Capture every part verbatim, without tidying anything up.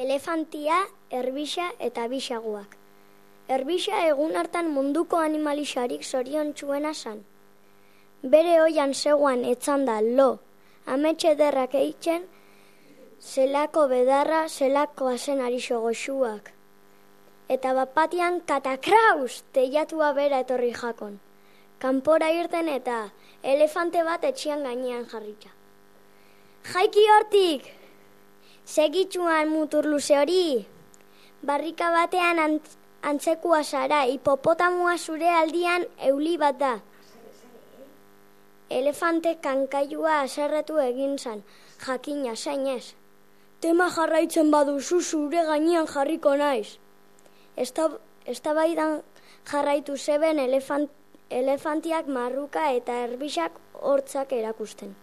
Elefantia, erbisa eta bisaguak. Erbisa egun hartan munduko animalisarik zoriontsuena zan. Bere oian zegoan etzanda lo, ametxe ederrak eitzen, zelako bedarra, zelako azen arixo goxuak. Eta bapatian katakraus teiatua bera etorri jakon. Kanpora irten eta elefante bat etxian gainean jarritza. Jaiki hortik! Segitxuan mutur luze hori! Barrika batean ant, antzekua zara, hipopotamua zure aldian euli bat da. Elefante kankailua aserretu egin zan, jakina zainez. Tema jarraitzen baduzu zure gainean jarriko naiz. Eztabaidan jarraitu zeben elefant, elefantiak marruka eta erbisak hortzak erakusten.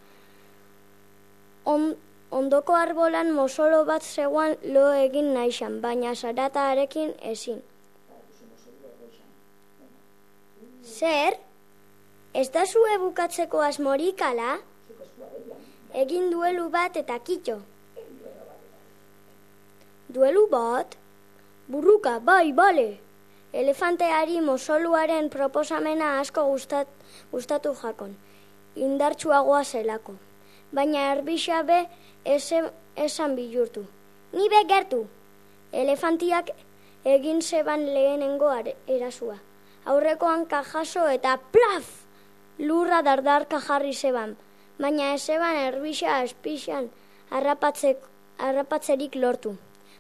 On, ondoko arbolan mosolo bat zegoan lo egin naizan, baina zaratarekin ezin. Zer? Ez da zue bukatzeko asmorik ala? Egin duelu bat eta kitxo. Duelu bat? Burruka, bai, bale. Elefanteari mosoluaren proposamena asko gustat, gustatu jakon. Indartsuagoa zelako. Baina erbisa be esan bihurtu. Ni be gertu. Elefantiak egin zeban lehenengo erasua. Aurrekoan kajaso eta plaf! Lurra dardarka jarri zeban. Baina ez zeban erbisa espixan harrapatzerik lortu.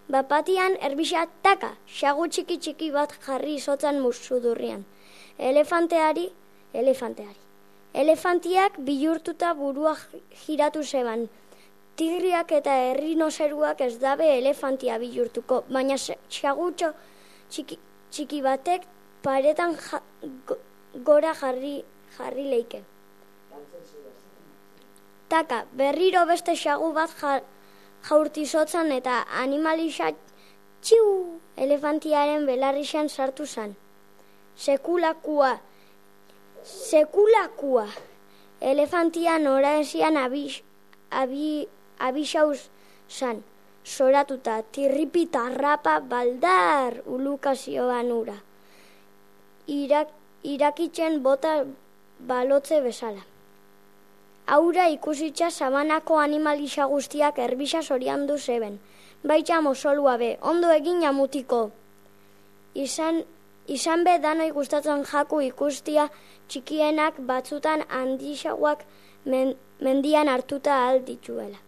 Bapatian erbisa taka, xagu txiki txiki bat jarri izotzan musudurrian. Elefanteari, elefanteari. Elefantiak bihurtuta burua giratu zeban. Tigriak eta errinozeruak ez dabe elefantia bihurtuko, baina xagutxo txiki, txiki batek paretan ja, go, gora jarri, jarri leike. Taka, berriro beste xagu bat ja, jaurtizotzan eta animalisa txiu elefantiaren belarrixan sartu zan. Sekulakua, sekulakua. Elefantia nora esian abis, abi, abisauz zan. Zoratuta, tirripi tarrapa baldar ulukazioan ura. Irak, irakitzen bota balotze bezala. Aura ikusitza sabanako animalisa guztiak erbisa zoriandu zeben. Baita mosolua be, ondo egin amutiko. Izan, izan be danoi gustatzen jaku ikustia txikienak batzutan handisagoak men, mendian hartuta aldituela.